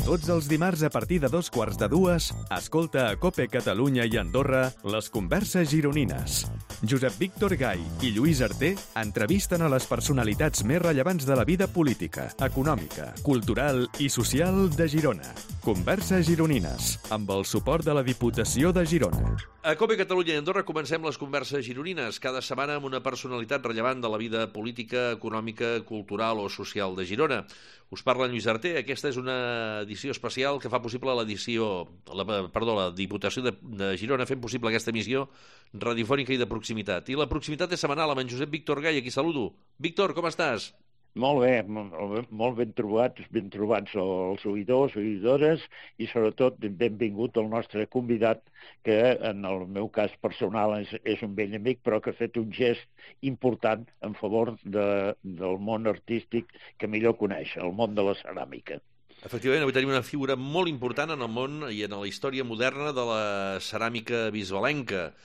Tots els dimarts a partir de 2:15, escolta a COPE Catalunya i Andorra les converses gironines. Josep Víctor Gai i Lluís Arter entrevisten a les personalitats més rellevants de la vida política, econòmica, cultural i social de Girona. Converses gironines, amb el suport de la Diputació de Girona. A COPE Catalunya i Andorra comencem les converses gironines, cada setmana amb una personalitat rellevant de la vida política, econòmica, cultural o social de Girona. Us parla en Lluís Arter. Aquesta és una edició especial que fa possible la Diputació de Girona fent possible aquesta emissió radiofònica i de proximitat. I la proximitat és setmanal amb en Josep Víctor Gai, a qui saludo. Víctor, com estàs? Molt bé, molt ben trobats els oïdors, oïdores, i sobretot benvingut el nostre convidat, que en el meu cas personal és un vell amic, però que ha fet un gest important en favor del món artístic que millor coneix, el món de la ceràmica. Efectivament, avui tenim una figura molt important en el món i en la història moderna de la ceràmica bisbalenca.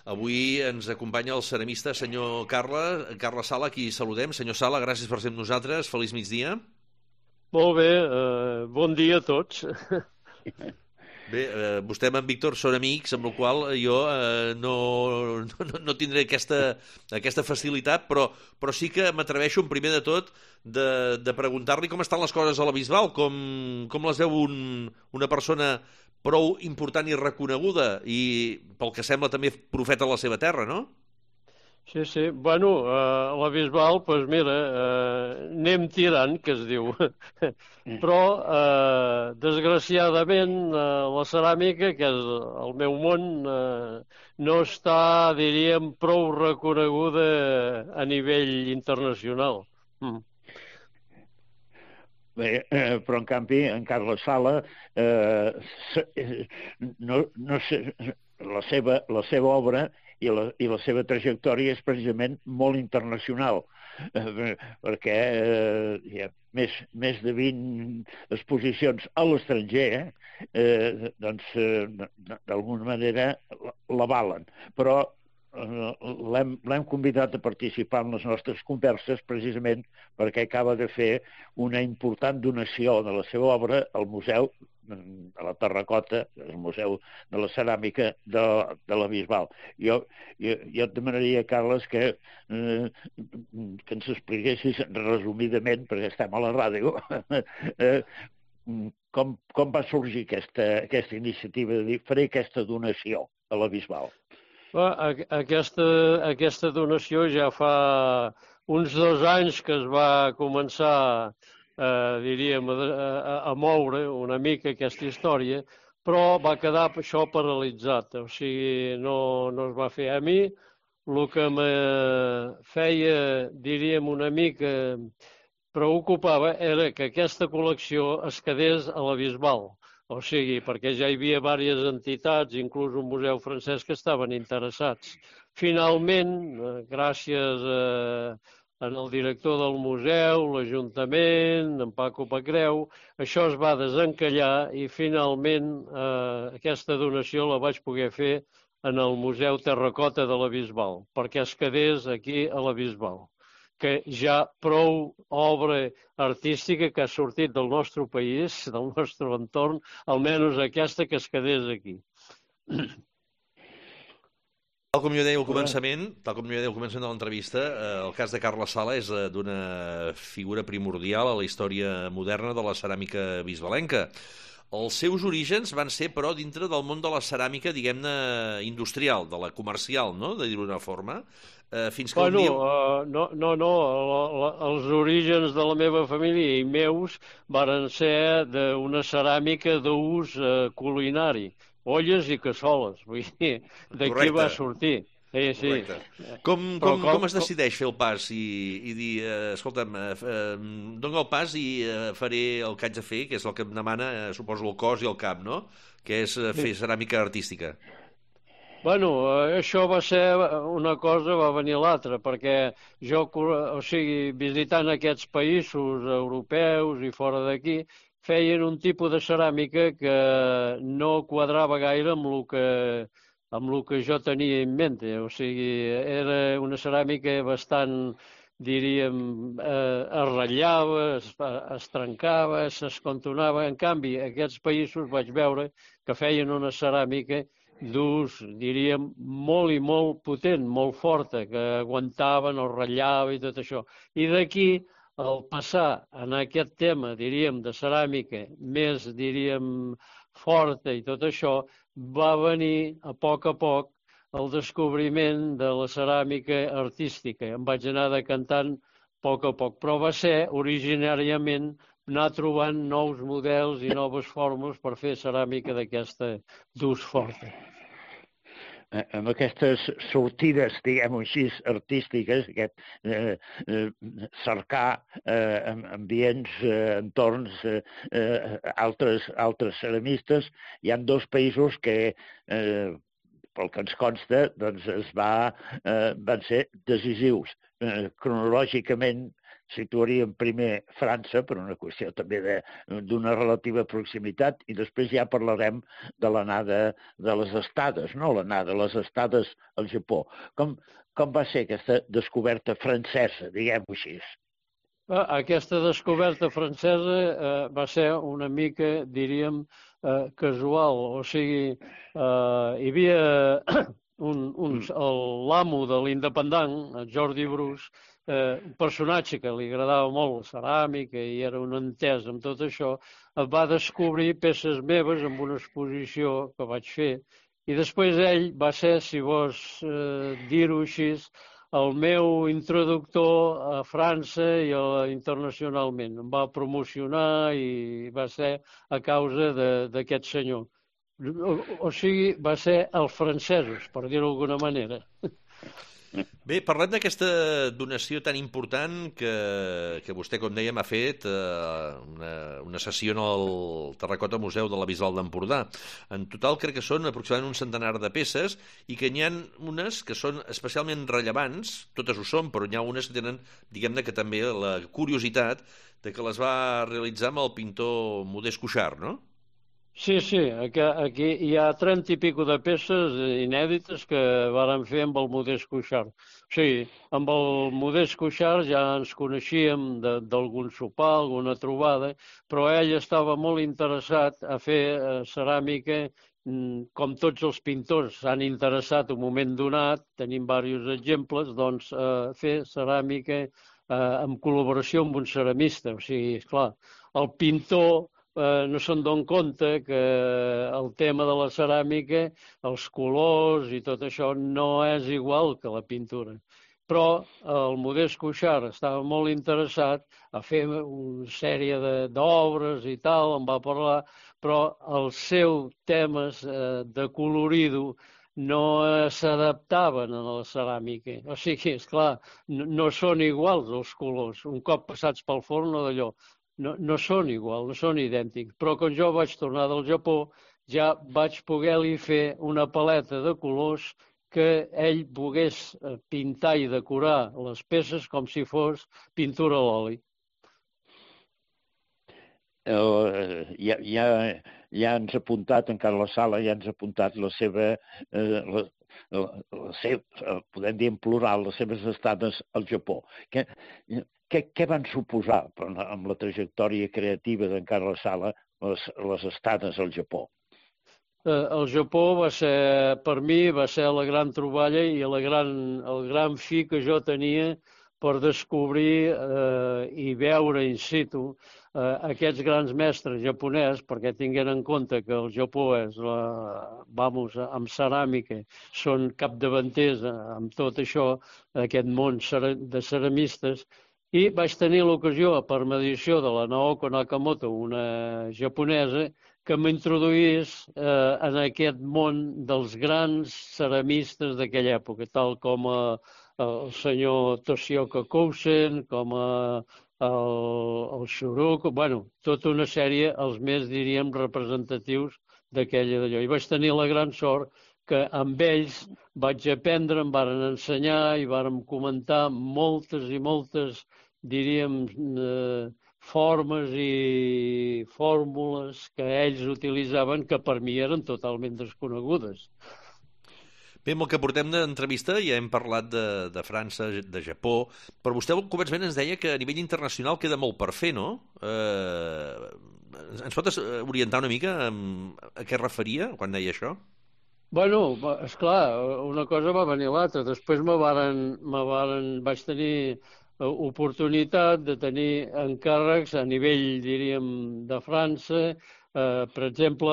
Avui ens acompanya el ceramista senyor Carles Sala, a qui saludem. Senyor Sala, gràcies per ser amb nosaltres. Feliç migdia. Molt bé, bon dia a tots. Bé, vostè amb en Víctor són amics, amb la qual jo no tindré aquesta facilitat, però sí que m'atreveixo, en primer de tot, de preguntar-li com estan les coses a la Bisbal, com les veu una persona prou important i reconeguda i, pel que sembla, també profeta de la seva terra, no? Sí. Bueno, a la Bisbal, doncs mira, anem tirant, que es diu. Però, desgraciadament, la ceràmica, que és el meu món, no està, diríem, prou reconeguda a nivell internacional. Bé, però en canvi, en Carles Sala, no sé, la seva obra i la seva trajectòria és precisament molt internacional, perquè hi ha més de 20 exposicions a l'estranger, doncs d'alguna manera l'avalen. Però l'hem convidat a participar en les nostres converses precisament perquè acaba de fer una important donació de la seva obra al Museu de la Terracota, el Museu de la Ceràmica de la Bisbal. Jo et demanaria, Carles, que ens expliquessis resumidament, perquè estem a la ràdio, com va sorgir aquesta iniciativa de dir faré aquesta donació a la Bisbal. Aquesta donació ja fa uns 2 anys que es va començar, diríem, a moure una mica aquesta història, però va quedar això paralitzat, o sigui, no es va fer. A mi el que me feia, diríem, una mica preocupava era que aquesta col·lecció es quedés a la Bisbal. O sigui, perquè ja hi havia diverses entitats, inclús un museu francès, que estaven interessats. Finalment, gràcies al director del museu, l'Ajuntament, en Paco Pacreu, això es va desencallar i finalment aquesta donació la vaig poder fer en el Museu Terracota de la Bisbal, perquè es quedés aquí a la Bisbal, que ja prou obra artística que ha sortit del nostre país, del nostre entorn, almenys aquesta que es quedés aquí. Tal com jo deia al començament de l'entrevista, el cas de Carles Sala és d'una figura primordial a la història moderna de la ceràmica bisbalenca. Els seus orígens van ser, però, dintre del món de la ceràmica, diguem-ne, industrial, de la comercial, no?, de dir-ho d'una forma. Fins que els orígens de la meva família i meus varen ser d'una ceràmica d'ús culinari, olles i cassoles, vull dir, d'aquí va sortir. Sí. Com es decideix fer el pas i dir, escolta'm, dona el pas i faré el que haig de fer, que és el que em demana, suposo, el cos i el cap, no?, que és fer ceràmica artística. Bueno, això va ser una cosa, va venir l'altra, perquè jo, o sigui, visitant aquests països europeus i fora d'aquí, feien un tipus de ceràmica que no quadrava gaire amb el que jo tenia en mente. O sigui, era una ceràmica bastant diríem, es ratllava, es trencava, s'escontonava. En canvi, aquests països vaig veure que feien una ceràmica d'ús, diríem, molt i molt potent, molt forta, que aguantaven, es ratllava i tot això. I d'aquí, al passar en aquest tema, diríem, de ceràmica més, diríem, forta i tot això, va venir a poc el descobriment de la ceràmica artística. Em vaig anar decantant a poc, però va ser originàriament anar trobant nous models i noves fórmules per fer ceràmica d'aquesta d'ús forta. Amb aquestes sortides, diguem-ho així, artístiques, cercar ambients, entorns, altres ceramistes, hi ha dos països que, pel que ens consta, doncs van ser decisius. Cronològicament situaríem primer França, per una qüestió també d'una relativa proximitat, i després ja parlarem de l'anada de les estades, no? L'anada de les estades al Japó. Com va ser aquesta descoberta francesa, diguem-ho així? Aquesta descoberta francesa va ser una mica, diríem, casual. O sigui, hi havia l'amo de l'Independent, Jordi Brus, un personatge que li agradava molt la ceràmica i era un entès amb tot això, va descobrir peces meves en una exposició que vaig fer. I després ell va ser, si vols dir-ho així, el meu introductor a França i internacionalment. Em va promocionar i va ser a causa d'aquest senyor. O sigui, va ser els francesos, per dir-ho d'alguna manera. Bé, parlem d'aquesta donació tan important que vostè, com dèiem, ha fet una sessió en el Terracota Museu de la Bisbal d'Empordà. En total crec que són aproximadament un centenar de peces i que n'hi ha unes que són especialment rellevants, totes ho són, però n'hi ha unes que tenen, diguem-ne, que també la curiositat de que les va realitzar amb el pintor Modest Cuixart, no? Sí, aquí hi ha 30 i pico de peces inèdites que vàrem fer amb el Modest Cuixart. O sigui, amb el Modest Cuixart ja ens coneixíem d'algun sopar, alguna trobada, però ell estava molt interessat a fer ceràmica, com tots els pintors s'han interessat un moment donat, tenim diversos exemples, doncs fer ceràmica en col·laboració amb un ceramista. O sigui, esclar, el pintor no se'n dona compte que el tema de la ceràmica, els colors i tot això no és igual que la pintura. Però el Modest Cuixart estava molt interessat a fer una sèrie d'obres i tal, em va parlar, però els seus temes de colorido no s'adaptaven a la ceràmica. O sigui, esclar, no són iguals els colors. Un cop passats pel forn o d'allò. No són igual, no són idèntics, però quan jo vaig tornar del Japó ja vaig poder-li fer una paleta de colors que ell pogués pintar i decorar les peces com si fos pintura a l'oli. Ja ens ha apuntat, en Carles Sala, ja ens ha apuntat la seva, podem dir en plural, les seves estades al Japó. Què van suposar amb la trajectòria creativa d'en Carles Sala les estades al Japó? El Japó va ser, per mi, va ser la gran troballa i el gran fi que jo tenia per descobrir i veure in situ aquests grans mestres japonesos, perquè tinguin en compte que el Japó és, amb ceràmica, són capdavanters amb tot això, aquest món de ceramistes, i vaig tenir l'ocasió, per mediació de la Naoko Nakamoto, una japonesa, que m'introduís en aquest món dels grans ceramistes d'aquella època, tal com el senyor Toshioka Kousen, com el Shuruko, tota una sèrie, els més, diríem, representatius d'aquella d'allò. I vaig tenir la gran sort que amb ells vaig aprendre, em varen ensenyar i vàrem comentar moltes i moltes, diríem, formes i fórmules que ells utilitzaven que per mi eren totalment desconegudes. Bé, amb el que portem d'entrevista ja hem parlat de França, de Japó, però vostè al començament ens deia que a nivell internacional queda molt per fer, no? Ens pot orientar una mica a què referia quan deia això? Bueno, esclar, una cosa va venir l'altra. Després vaig tenir oportunitat de tenir encàrrecs a nivell, diríem, de França, per exemple,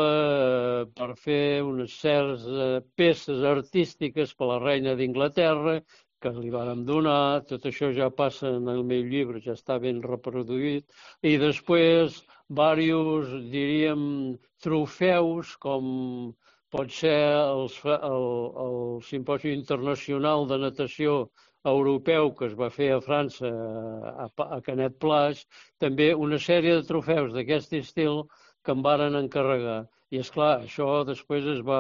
per fer unes certes peces artístiques per la reina d'Inglaterra, que li vàrem donar. Tot això ja passa en el meu llibre, ja està ben reproduït. I després, diversos, diríem, trofeus, com pot ser el Simposi Internacional de Natació Europeu que es va fer a França, a Canet Plage, també una sèrie de trofeus d'aquest estil que em varen encarregar. I, esclar, això després es va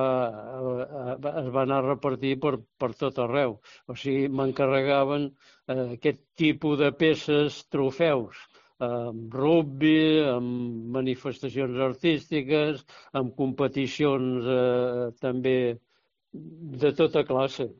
anar a repartir per tot arreu. O sigui, m'encarregaven aquest tipus de peces, trofeus, amb rugby, amb manifestacions artístiques, amb competicions també de tota classe.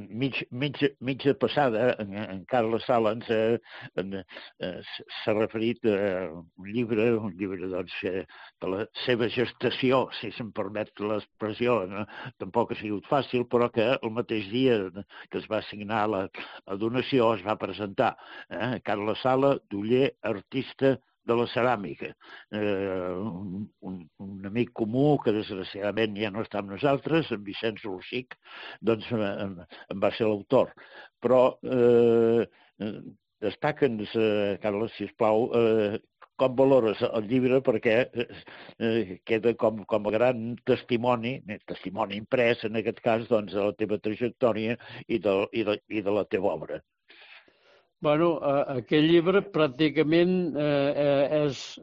Mitja passada, en Carles Sala s'ha referit a un llibre doncs, de la seva gestació, si se'm permet l'expressió. No? Tampoc ha sigut fàcil, però que el mateix dia que es va signar la donació es va presentar. Carles Sala, d'Oller, artista de la ceràmica. Un amic comú que desgraciadament ja no està amb nosaltres, en Vicenç Rosic, doncs en va ser l'autor. Però destaca'ns, Carles, sisplau, com valores el llibre, perquè queda com a gran testimoni imprès, en aquest cas, doncs, de la teva trajectòria i de la teva obra. Bueno, aquest llibre pràcticament es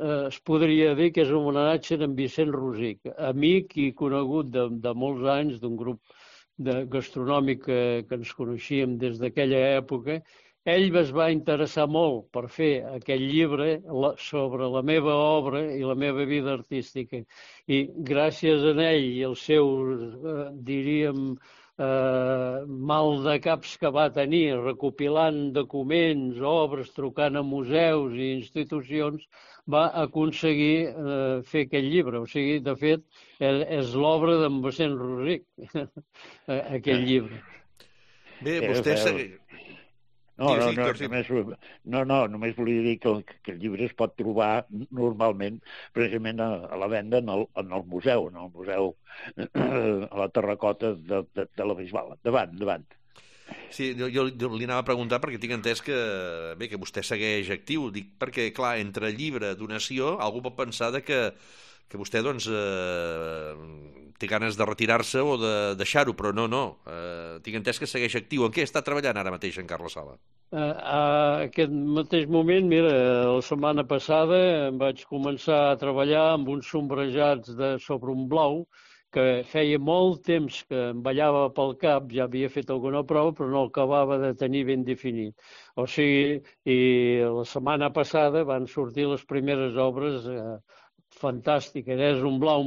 podria dir que és un homenatge d'en Vicenç Rosic, amic i conegut de molts anys, d'un grup gastronòmic que ens coneixíem des d'aquella època. Ell es va interessar molt per fer aquest llibre sobre la meva obra i la meva vida artística. I gràcies a ell i els seus, diríem, mal de caps que va tenir, recopilant documents, obres, trucant a museus i institucions, va aconseguir fer aquest llibre. O sigui, de fet, és l'obra d'en Vicenç Rosic, aquest llibre. Bé, vostè... Només volia dir que el llibre es pot trobar normalment precisament a la venda en el museu, a la terracota de la Bisbal. Endavant. Sí, jo li anava a preguntar perquè tinc entès que vostè segueix actiu. Dic perquè, clar, entre llibre, donació, algú pot pensar que vostè doncs té ganes de retirar-se o de deixar-ho, però no. Tinc entès que segueix actiu. En què està treballant ara mateix en Carles Sala? A aquest mateix moment, mira, la setmana passada em vaig començar a treballar amb uns sombrejats sobre un blau que feia molt temps que em ballava pel cap, ja havia fet alguna prova, però no acabava de tenir ben definit. O sigui, i la setmana passada van sortir les primeres obres fantàstiques. És un blau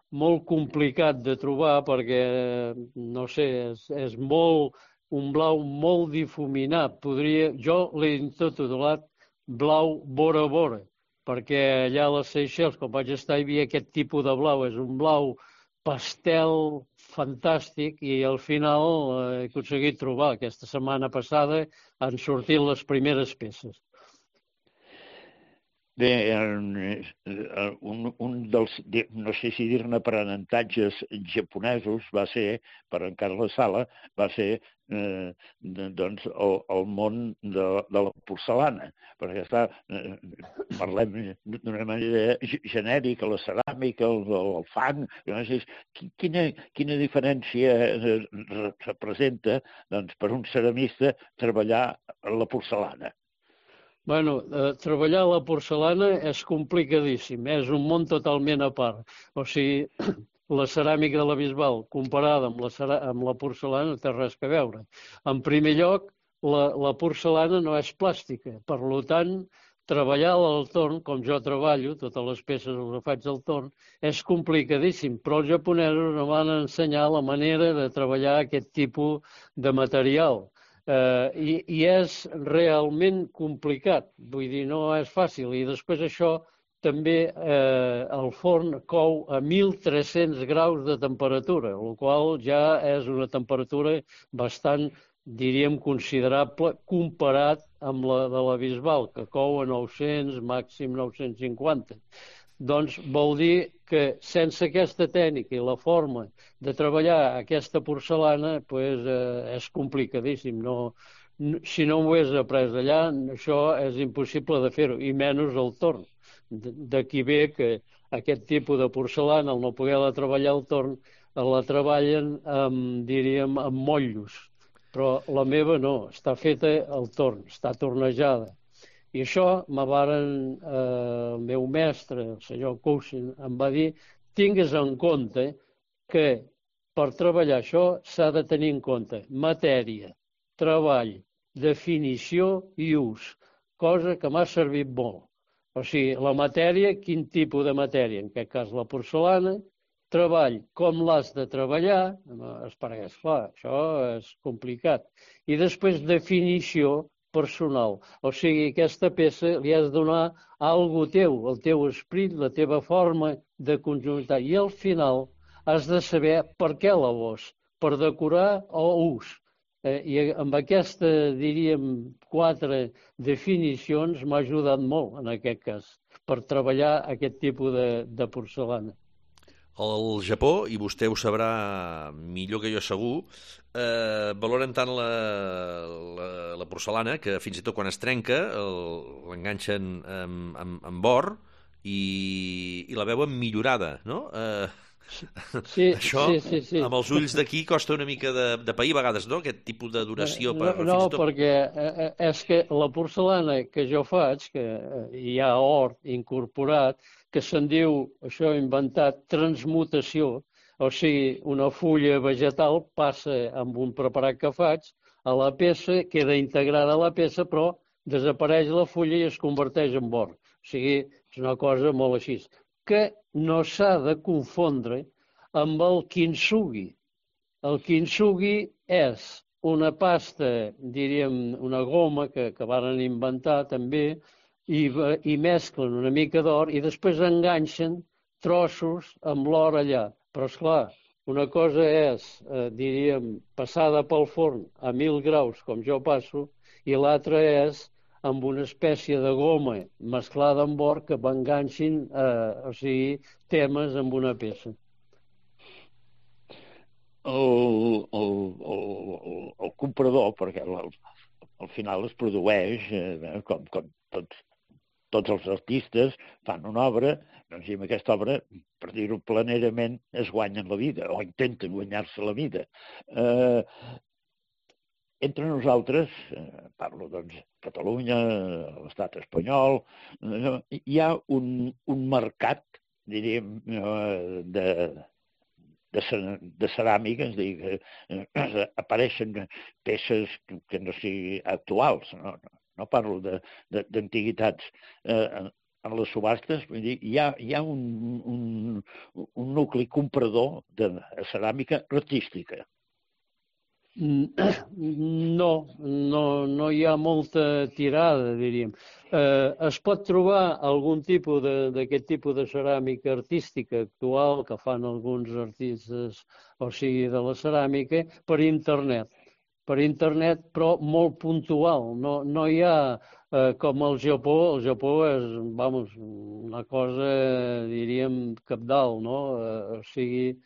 molt complicat de trobar perquè, no sé, és un blau molt difuminat. Jo l'he intitulat blau vora, perquè allà a les Seychelles, quan vaig estar, hi havia aquest tipus de blau. És un blau pastel fantàstic i al final he aconseguit trobar. Aquesta setmana passada han sortit les primeres peces. Bé, un dels, no sé si dir-ne aprenentatges japonesos va ser, per en Carles Sala, va ser doncs, el món de la porcellana. Perquè parlem d'una manera genèrica, la ceràmica, el fang. No sé, quina diferència representa doncs, per un ceramista treballar la porcellana? Bueno, treballar la porcellana és complicadíssim, és un món totalment a part. O sigui, la ceràmica de la Bisbal comparada amb la porcellana no té res a veure. En primer lloc, la porcellana no és plàstica, per tant, treballar al torn, com jo treballo, totes les peces les faig al torn, és complicadíssim, però els japonesos ens van ensenyar la manera de treballar aquest tipus de material. I és realment complicat, vull dir, no és fàcil. I després això també el forn cou a 1.300 graus de temperatura, el qual ja és una temperatura bastant, diríem, considerable comparat amb la de la Bisbal, que cou a 900, màxim 950. Doncs vol dir que sense aquesta tècnica i la forma de treballar aquesta porcellana és complicadíssim. Si no ho hagués après allà, això és impossible de fer-ho, i menys al torn. D'aquí ve que aquest tipus de porcellana, al no poder-la treballar al torn, la treballen, diríem, amb motllos. Però la meva no, està feta al torn, està tornejada. I això el meu mestre, el senyor Cousin, em va dir: tingues en compte que per treballar això s'ha de tenir en compte matèria, treball, definició i ús, cosa que m'ha servit molt. O sigui, la matèria, quin tipus de matèria? En aquest cas la porcellana. Treball, com l'has de treballar? Perquè, esclar, això és complicat. I després definició personal. O sigui, aquesta peça li has de donar algo teu, el teu esperit, la teva forma de conjuntar. I al final has de saber per què la vols, per decorar o ús. I amb aquesta, diríem, 4 definicions m'ha ajudat molt, en aquest cas, per treballar aquest tipus de porcellana. Al Japó, i vostè ho sabrà millor que jo segur, valoren tant la porcellana que fins i tot quan es trenca l'enganxen amb or i la veuen millorada, no? Sí, això, sí. amb els ulls d'aquí, costa una mica de pair a vegades, no? Aquest tipus de duració. No, perquè és que la porcellana que jo faig, que hi ha or incorporat, que se'n diu, això inventat, transmutació, o sigui, una fulla vegetal passa amb un preparat que faig a la peça, queda integrada a la peça, però desapareix la fulla i es converteix en or. O sigui, és una cosa molt així. Que no s'ha de confondre amb el kintsugi. El kintsugi és una pasta, diríem, una goma que varen inventar també, i mesclen una mica d'or i després enganxen trossos amb l'or allà. Però, esclar, una cosa és, diríem, passada pel forn a 1.000 graus, com jo passo, i l'altra és amb una espècie de goma mesclada amb or que enganxin, o sigui, temes amb una peça. El comprador, perquè al final es produeix, com tots els artistes fan una obra, doncs i amb aquesta obra, per dir-ho planerament, es guanyen la vida, o intenten guanyar-se la vida. Entre nosaltres, parlo doncs Catalunya, l'estat espanyol, hi ha un mercat, diríem, de ceràmica, és a dir, apareixen peces que no siguin actuals, no parlo d'antiguitats. En les subhastes, vull dir, hi ha un nucli comprador de ceràmica artística. No hi ha molta tirada, diríem. Es pot trobar algun tipus d'aquest tipus de ceràmica artística actual que fan alguns artistes, o sigui, de la ceràmica, per internet, però molt puntual. No hi ha, com al Japó. El Japó és, una cosa, diríem, cabdal, no? O sigui,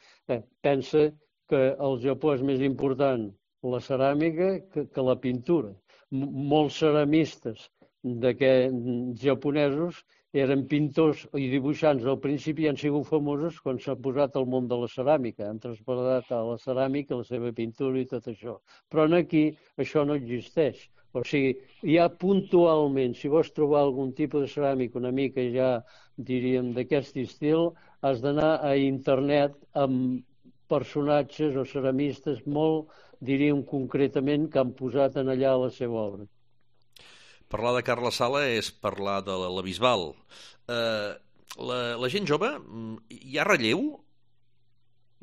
pensa que al Japó és més important la ceràmica que la pintura. Molts ceramistes japonesos eren pintors i dibuixants al principi i han sigut famosos quan s'ha posat al món de la ceràmica. Han traspassat a la ceràmica la seva pintura i tot això. Però aquí això no existeix. O sigui, ja puntualment, si vols trobar algun tipus de ceràmica una mica ja, diríem, d'aquest estil, has d'anar a internet amb personatges o ceramistes molt, diríem concretament, que han posat en allà la seva obra. Parlar de Carles Sala és parlar de la Bisbal. La gent jove, hi ha relleu?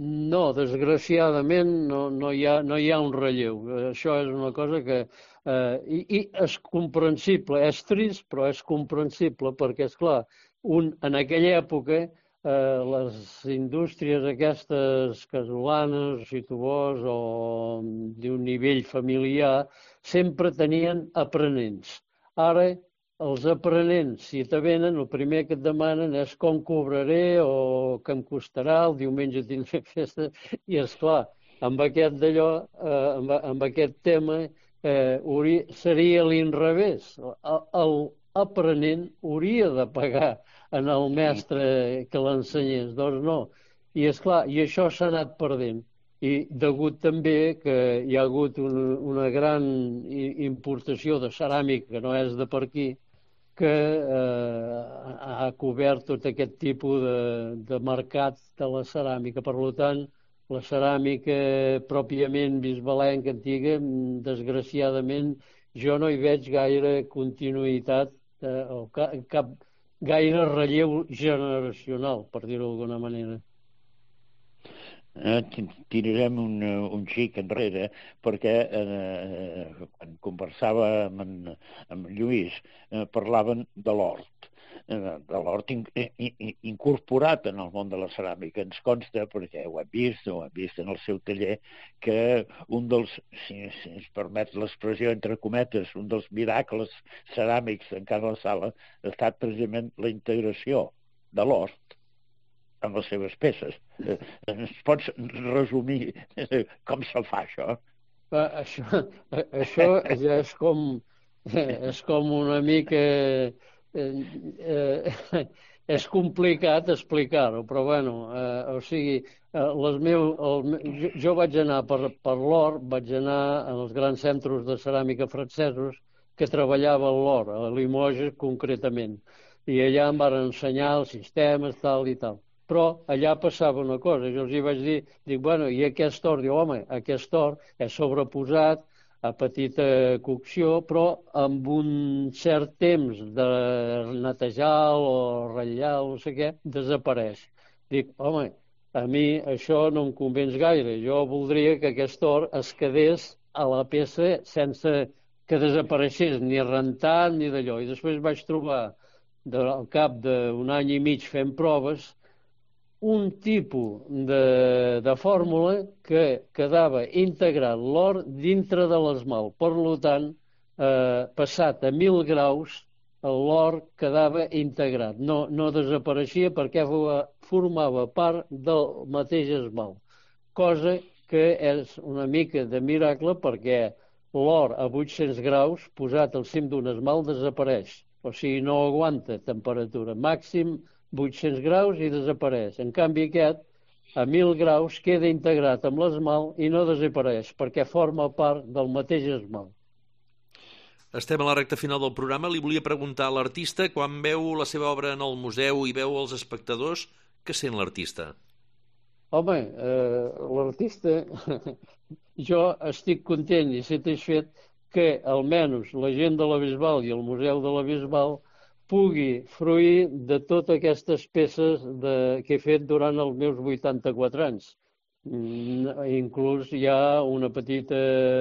No, desgraciadament no hi ha un relleu. Això és una cosa que... I és comprensible, és trist, però és comprensible, perquè, és clar, en aquella època les indústries aquestes casolanes, si tu vols, o d'un nivell familiar, sempre tenien aprenents. Ara, els aprenents, si te venen, el primer que et demanen és com cobraré o què em costarà, el diumenge tindré festa, i és clar, amb aquest d'allò, amb aquest tema, seria l'inrevés. L'aprenent hauria de pagar en el mestre que l'ensenyés, doncs no. I és clar, i això s'ha anat perdent. I degut també que hi ha hagut una gran importació de ceràmica, que no és de per aquí, que ha cobert tot aquest tipus de mercat de la ceràmica. Per tant, la ceràmica pròpiament bisbalenca antiga, desgraciadament, jo no hi veig gaire continuïtat o cap gaire relleu generacional, per dir-ho d'alguna manera. Tirarem un xic enrere, perquè quan conversava amb Lluís parlaven de l'hort incorporat en el món de la ceràmica. Ens consta, perquè ho hem vist en el seu taller, que un dels, si ens permet l'expressió entre cometes, un dels miracles ceràmics en Carles Sala ha estat precisament la integració de l'hort en les seves peces. Ens pots resumir com se fa això? Això ja és com una mica... és complicat explicar-ho, però bueno, o sigui, jo vaig anar per l'or, vaig anar als grans centres de ceràmica francesos que treballava l'or, a Limoges concretament, i allà em van ensenyar els sistemes, tal i tal. Però allà passava una cosa, jo els hi vaig dir, bueno, i aquest or? Diu, home, aquest or és sobreposat a petita cocció, però amb un cert temps de netejar o ratllar o no sé què, desapareix. Dic, home, a mi això no em convenç gaire. Jo voldria que aquest or es quedés a la peça sense que desapareixés ni rentat ni d'allò. I després vaig trobar, al cap d'un any i mig fent proves, un tipus de fórmula que quedava integrat l'or dintre de l'esmalt. Per tant, passat a 1.000 graus, l'or quedava integrat. No desapareixia perquè formava part del mateix esmalt. Cosa que és una mica de miracle perquè l'or a 800 graus, posat al cim d'un esmalt, desapareix. O sigui, no aguanta temperatura. Màxim 800 graus i desapareix. En canvi aquest, a 1.000 graus, queda integrat amb l'esmalt i no desapareix, perquè forma part del mateix esmalt. Estem a la recta final del programa. Li volia preguntar a l'artista, quan veu la seva obra en el museu i veu els espectadors, què sent l'artista? Home, l'artista, jo estic content i satisfet que almenys la gent de la Bisbal i el Museu de la Bisbal pugui fruir de totes aquestes peces que he fet durant els meus 84 anys. Inclús hi ha una petita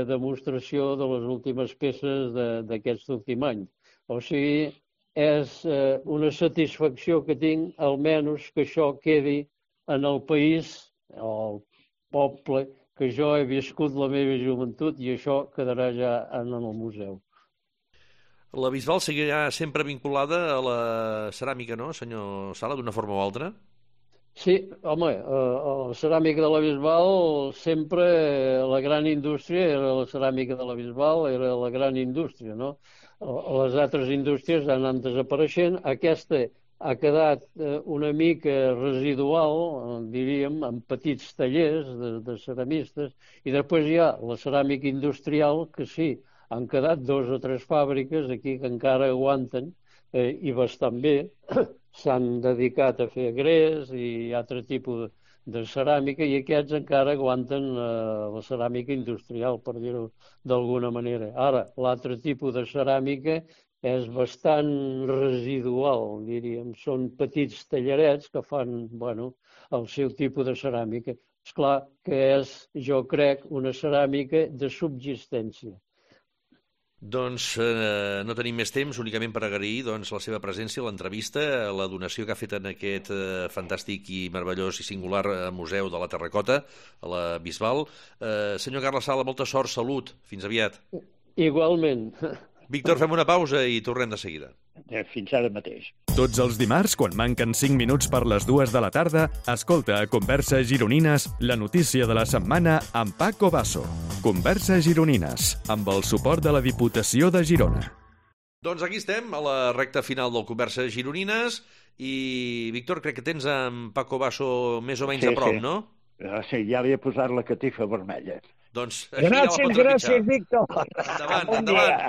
demostració de les últimes peces d'aquest últim any. O sigui, és una satisfacció que tinc, almenys que això quedi en el país, o el poble, que jo he viscut la meva joventut, i això quedarà ja en el museu. La Bisbal seguirà sempre vinculada a la ceràmica, no, senyor Sala, d'una forma o altra? Sí, home, la ceràmica de la Bisbal sempre, la gran indústria era la ceràmica de la Bisbal, era la gran indústria, no? Les altres indústries han anat desapareixent, aquesta ha quedat una mica residual, diríem, en petits tallers de ceramistes, i després hi ha la ceràmica industrial, que sí, han quedat 2 o 3 fàbriques aquí que encara aguanten i bastant bé. S'han dedicat a fer gres i altre tipus de ceràmica, i aquests encara aguanten la ceràmica industrial, per dir-ho d'alguna manera. Ara, l'altre tipus de ceràmica és bastant residual, diríem. Són petits tallarets que fan, bueno, el seu tipus de ceràmica. Esclar que és, jo crec, una ceràmica de subsistència. Doncs no tenim més temps, únicament per agrair doncs, la seva presència, l'entrevista, la donació que ha fet en aquest fantàstic i meravellós i singular museu de la Terracota, a la Bisbal. Senyor Carles Sala, molta sort, salut, fins aviat. Igualment. Víctor, fem una pausa i tornem de seguida. Fins ara mateix. Tots els dimarts, quan manquen 5 minuts per les 2 de la tarda, escolta a Converses Gironines la notícia de la setmana amb Paco Basso. Converses Gironines, amb el suport de la Diputació de Girona. Doncs aquí estem, a la recta final del Converses Gironines, i, Víctor, crec que tens en Paco Basso més o menys a prop, no? Sí, ja li he posat la catifa vermella. Doncs així ja la pots trepitjar. Gràcies, Víctor. Endavant, endavant.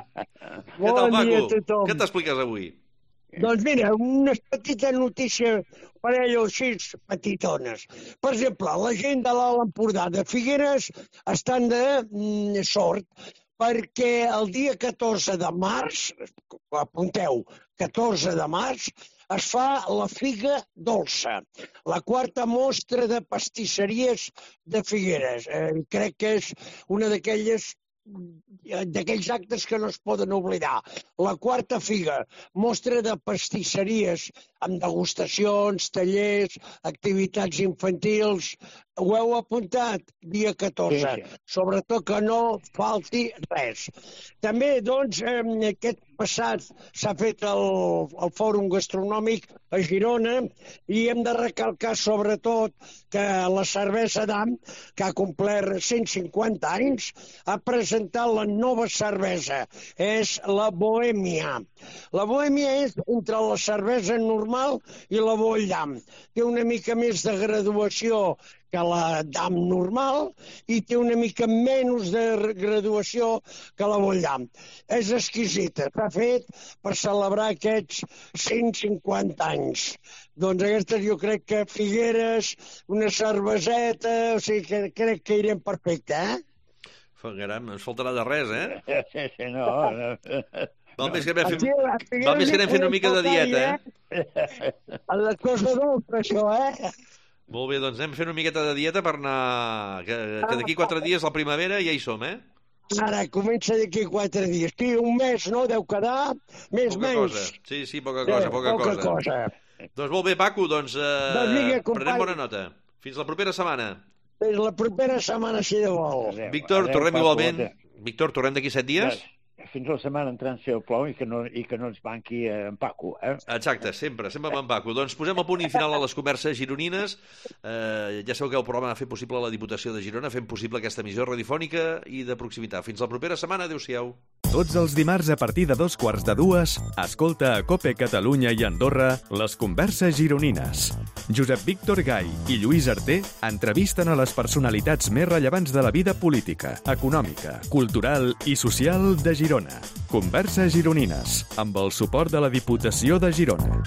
Què tal, Paco? Què t'expliques avui? Doncs mira, unes petites notícies per allò així petitones. Per exemple, la gent de l'Alt Empordà de Figueres estan de sort perquè el dia 14 de març, apunteu, 14 de març, es fa la Figa Dolça, la quarta mostra de pastisseries de Figueres. Crec que és una d'aquells actes que no es poden oblidar. La quarta figa, mostra de pastisseries amb degustacions, tallers, activitats infantils. Ho heu apuntat? Dia 14. Sí. Sobretot que no falti res. També, doncs, aquest passat s'ha fet el Fòrum Gastronòmic a Girona i hem de recalcar sobretot que la cervesa d'Am, que ha complert 150 anys, ha presentat la nova cervesa. És la Bohèmia. La Bohèmia és entre la cervesa normal i la Boll d'Am. Té una mica més de graduació que la d'Am normal i té una mica menys de graduació que la Boll d'Am. És exquisita. S'ha fet per celebrar aquests 150 anys. Doncs aquestes jo crec que Figueres, una cerveseta, o sigui que crec que irem perfecte, Caram, no ens faltarà de res, Sí, no. Val més que anem fent una mica de dieta, A les coses dolces, això, Molt bé, doncs anem fent una miqueta de dieta per anar... Que d'aquí 4 dies, la primavera, ja hi som, Ara, comença d'aquí 4 dies. Sí, un mes, no? Deu quedar més menys. Sí, poca cosa. Doncs molt bé, Paco, doncs prenem bona nota. Fins la propera setmana. Fins la propera setmana, si de vol. Víctor, tornem igualment. Víctor, tornem d'aquí 7 dies? Fins la setmana entrant, si el plou, i que no ens banqui en Paco, Exacte, sempre amb en Paco. Doncs posem el punt i final a les converses gironines. Ja sabeu que el programa ha fet possible la Diputació de Girona, fent possible aquesta emissió radiofònica i de proximitat. Fins la propera setmana, adéu-siau. Tots els dimarts a partir de 2:15, escolta a COPE Catalunya i Andorra les converses gironines. Josep Víctor Gai i Lluís Arter entrevisten a les personalitats més rellevants de la vida política, econòmica, cultural i social de Girona. Converses gironines, amb el suport de la Diputació de Girona.